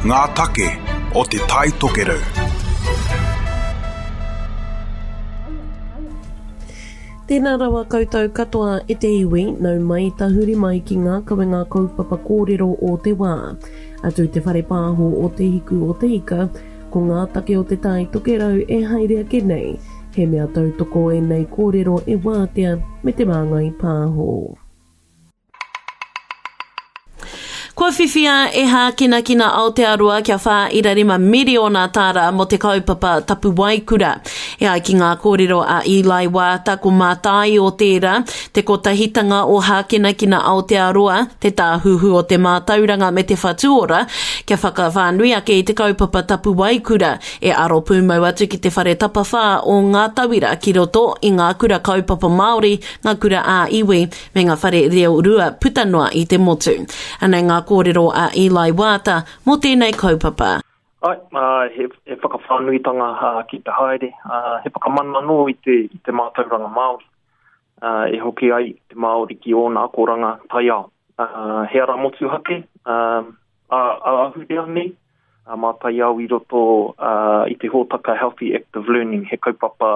Ngā take o Te Tai Tokerau. Tēnā rawa koutou katoa e te iwi, nau mai tahuri mai ki ngā kawenga kaupapa kōrero o te wā. Atu i te whare pāho o Te Hiku o Te Ika, ko ngā take o Te Tai Tokerau e haere ake nei. He mea tautoko ēnei kōrero e Wātea me Te Māngai Pāho. Kua whiwhia e Hākinakina Aotearoa kia 4.5 miriona tāra mō te kaupapa Tapuwaekura. E ai ki ngā kōrero a Eli Waata ko Mātāio tērā, te kotahitanga o Hākinakina Aotearoa, te Tāhuhu o te Mātauranga me te Whatuora, kia whakawhānui ake i te kaupapa Tapuwaekura e aro pūmau atu ki te whare tapawhā o ngā tauira ki roto i ngā kura kaupapa Māori, ngā kura ā-iwi, me ngā whare reo rua puta noa i te motu. Anei ngā kōrero a Eli Waata mō tēnei kaupapa. Āe, he, he whakawhānuitanga ki te haere, he whakamana anō i te, i te mātauranga Māori, e hoki ai te Māori ki ōna akoranga taiao. He ara motuhake, ā-ahurea nei, mā taiao i roto i te hōtaka Healthy Active Learning, he kaupapa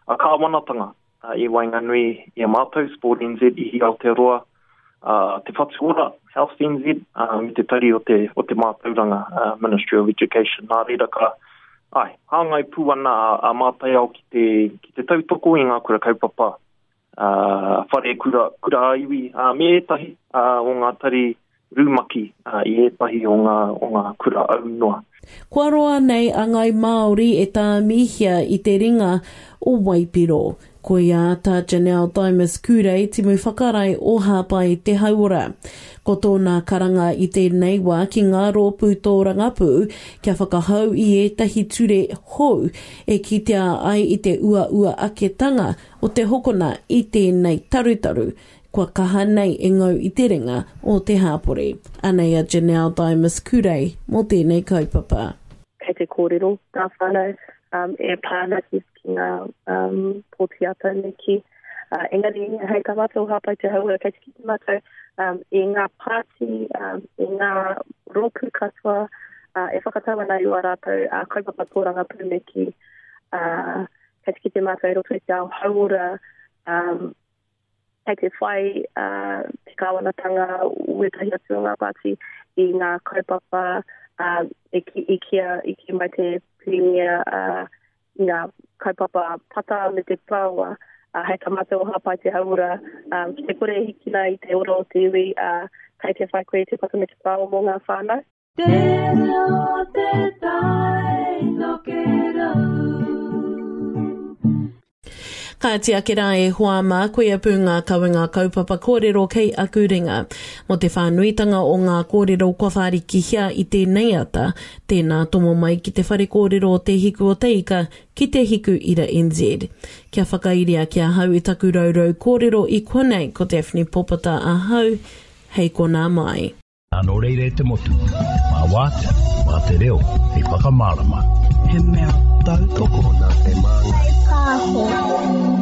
kāwanatanga i waenganui i a mātou, Sport NZ, Ihi Aotearoa, Te Whatu Ora, Health NZ, me te Tari o te, o te Mātauranga, Ministry of Education. Nā reira ka, ai, hāngai pū ana a, a Mātaiao ki te, ki te tautoko i ngā kura kaupapa, uh, whare kura, kura ā-iwi, uh, me ētahi uh, o ngā tari rumaki i ētahi o ngā, o ngā kura aunoa. Kua roa nei a Ngāi Māori e tāmihia i te ringa o Waipiro. Koia tā Janelle Dymas Kurei timu whakarae o Hāpai Te Hauora. Ko tōna karanga i tēnei wā ki ngā rōpū tōrangapū kia whakahou i ētahi ture hou e kitea ai i te uaua aketanga o te hokona i tēnei tarutaru Kua kaha nei e ngau i te ringa o te hāpori. Anei a Janelle Dymas Kurei mō tēnei kaupapa. Kei te kōrero ngā whānau e pā ana ki ngā pōti ā-tau me kī. Engari, hei tā mātou o Hāpai Te Hauora, kei te kite mātou i ngā pāti, i ngā rōpū katoa e whakatau ana i ō rātou kaupapa tōrangapū me kī. Kei te kite mātou i roto i te ao hauora, kei te whai te kāwanatanga wētahi atu o ngā pāti i ngā kaupapa e ki, i kia, i kī mai te Pirimia i ngā kaupapa pata me te parāoa hei tā mātou o Hāpai Te Hauora ki te kore e hikina i te ora o te iwi kei te whai koe i te pata me te parāoa mō ngā whānau. Te reo te tai tokerau. Kāti ake rā e hoa mā, koia pū ngā kawenga kaupapa kōrero kei aku ringa. Mō te whānuitanga o ngā kōrero kua whārikihia i tēnei ata, tēnā tomo mai ki te whare kōrero o Te Hiku o Te Ika ki Te Hiku Ira NZ. Kia whakairia ki ahau i taku rourou kōrero i konei ko Daphne Popata ahau, hei konā mai. Nō reira e te motu, mā Wātea, mā te reo hei whakamārama. He mea tautoko nā te Māngai Pāho.